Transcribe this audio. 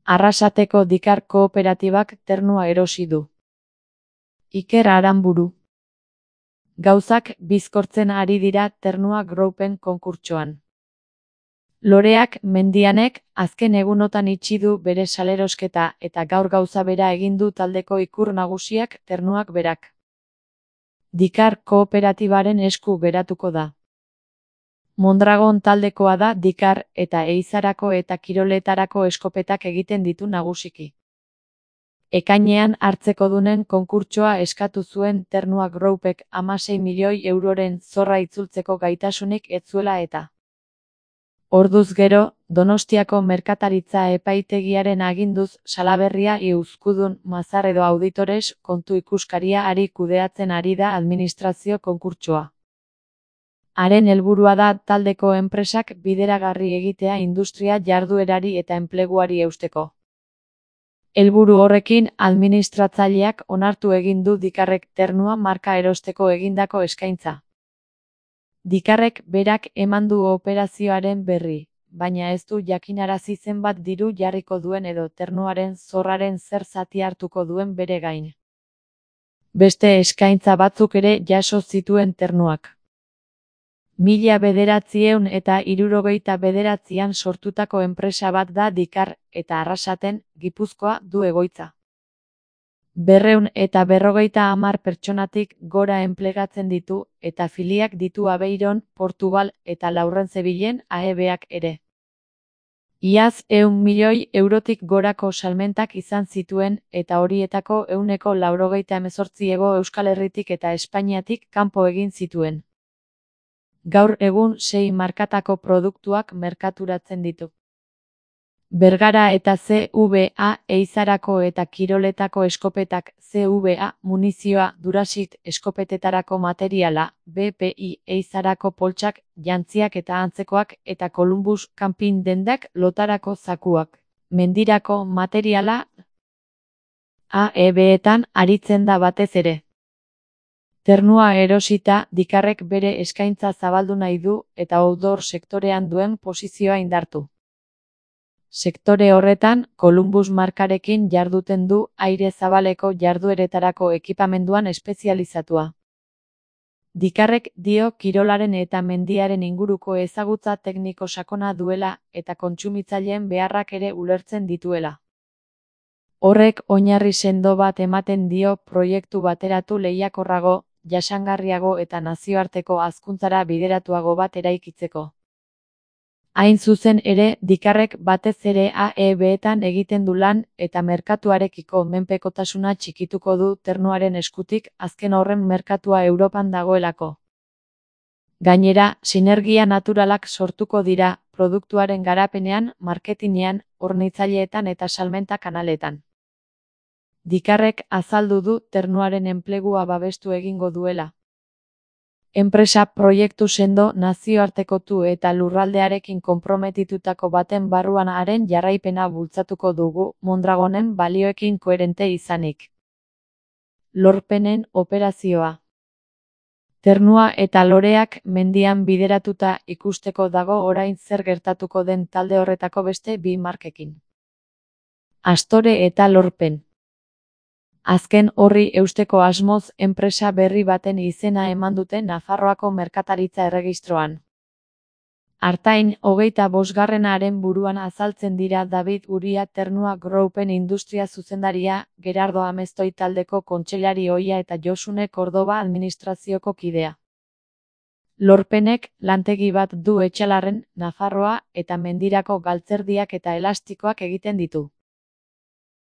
Arrasateko Dikar kooperatibak ternua erosi du. Iker Aranburu. Gauzak bizkortzen ari dira Ternua Groupen konkurtsoan. Loreak Mendianek azken egunotan itxi du bere salerosketa eta gaur gauza bera egin du taldeko ikur nagusiak Ternuak berak. Dikar kooperatibaren esku geratuko da. Mondragon taldekoa da Dikar eta ehizarako eta kiroletarako eskopetak egiten ditu nagusiki. Ekainean hartzekodunen konkurtsoa eskatu zuen Ternua Groupek 16 milioi euroren zorra itzultzeko gaitasunik ez zuela eta. Orduz gero, Donostiako merkataritza epaitegiaren aginduz Salaberria Euskudun Mazar edo Auditores kontu ikuskaria ari kudeatzen ari da administrazio konkurtsoa. Haren helburua da taldeko enpresak bideragarri egitea industria jarduerari eta enpleguari eusteko. Helburu horrekin administratzaileak onartu egin du Dikarrek Ternua marka erosteko egindako eskaintza. Dikarrek berak eman du operazioaren berri, baina ez du jakinarazi zenbat diru jarriko duen edo Ternuaren zorraren zer zati hartuko duen bere gain. Beste eskaintza batzuk ere jaso zituen Ternuak. 1979an sortutako enpresa bat da Dikar eta Arrasaten, Gipuzkoa du egoitza. 250 pertsonatik gora enplegatzen ditu eta filiak ditu Aveiron, Portugal eta Laurentzebilen AEBak ere. Iaz 100 milioi eurotik gorako salmentak izan zituen eta horietako 198 Hego Euskal Herritik eta Espainiatik kanpo egin zituen. Gaur egun 6 markatako produktuak merkaturatzen ditu. Bergara eta CVA ehizarako eta kiroletako eskopetak, CVA munizioa, Durasit eskopetetarako materiala, BPI ehizarako poltsak, jantziak eta antzekoak eta Columbus kanpin dendak lotarako zakuak, mendirako materiala, AEBetan aritzen da batez ere. Ternua erosita, Dikarrek bere eskaintza zabaldu nahi du eta outdoor sektorean duen posizioa indartu. Sektore horretan, Columbus markarekin jarduten du aire zabaleko jardueretarako ekipamenduan espezializatua. Dikarrek dio kirolaren eta mendiaren inguruko ezagutza tekniko sakona duela eta kontsumitzaileen beharrak ere ulertzen dituela. Horrek oinarri sendo bat ematen dio proiektu bateratu lehiakorrago, jasangarriago eta nazioarteko hazkuntzara bideratuago bat eraikitzeko. Hain zuzen ere, Dikarrek batez ere AEBetan egiten du lan eta merkatuarekiko menpekotasuna txikituko du Ternuaren eskutik azken horren merkatua Europan dagoelako. Gainera, sinergia naturalak sortuko dira produktuaren garapenean, marketinean, hornitzaileetan eta salmenta kanaletan. Dikarrek azaldu du Ternuaren enplegua babestu egingo duela. Enpresa proiektu sendo nazioartekotu eta lurraldearekin konprometitutako baten barruan haren jarraipena bultzatuko dugu Mondragonen balioekin koherente izanik. Lorpenen operazioa. Ternua eta Loreak mendian bideratuta ikusteko dago orain zer gertatuko den talde horretako beste 2 markekin. Astore eta Lorpen. Azken horri eusteko asmoz enpresa berri baten izena eman dute Nafarroako merkataritza erregistroan. Artain 25. buruan azaltzen dira David Uria Ternua Groupen industria zuzendaria, Gerardo Amestoi taldeko kontseilari ohia eta Josune Cordoba administrazioko kidea. Lorpenek lantegi bat du Etxalarren, Nafarroa eta mendirako galtzerdiak eta elastikoak egiten ditu.